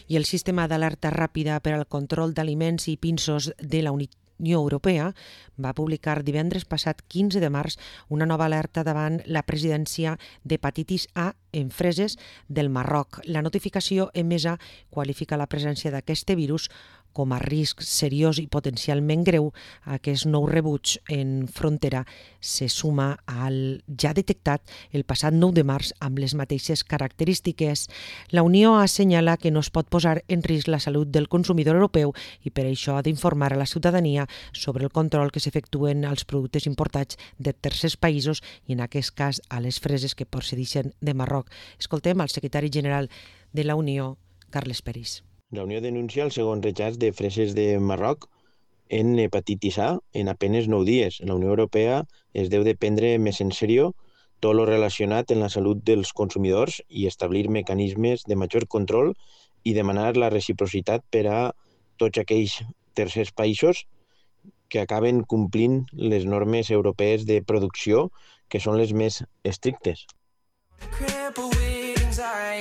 I el sistema d'alerta ràpida per al control d'aliments i pinsos de la Unió Europea va publicar divendres passat 15 de març una nova alerta davant la presidència d'hepatitis A en freses del Marroc. La notificació emesa qualifica la presència d'aquest virus com a risc seriós i potencialment greu. Aquest nou rebuig en frontera se suma al ja detectat el passat 9 de març amb les mateixes característiques. La Unió assenyala que no es pot posar en risc la salut del consumidor europeu i per això ha d'informar a la ciutadania sobre el control que s'efectuen als productes importats de tercers països i en aquest cas a les freses que procedeixen de Marroc. Escoltem al secretari general de la Unió, Carles Peris. La Unió denuncia el segon rechaç de freses de Marroc en hepatitis A en apenas 9 dies. La Unió Europea es deu de prendre més en sèrio tot lo relacionat amb la salut dels consumidors i establir mecanismes de major control i demanar la reciprocitat per a tots aquells tercers països que acaben complint les normes europees de producció, que són les més estrictes.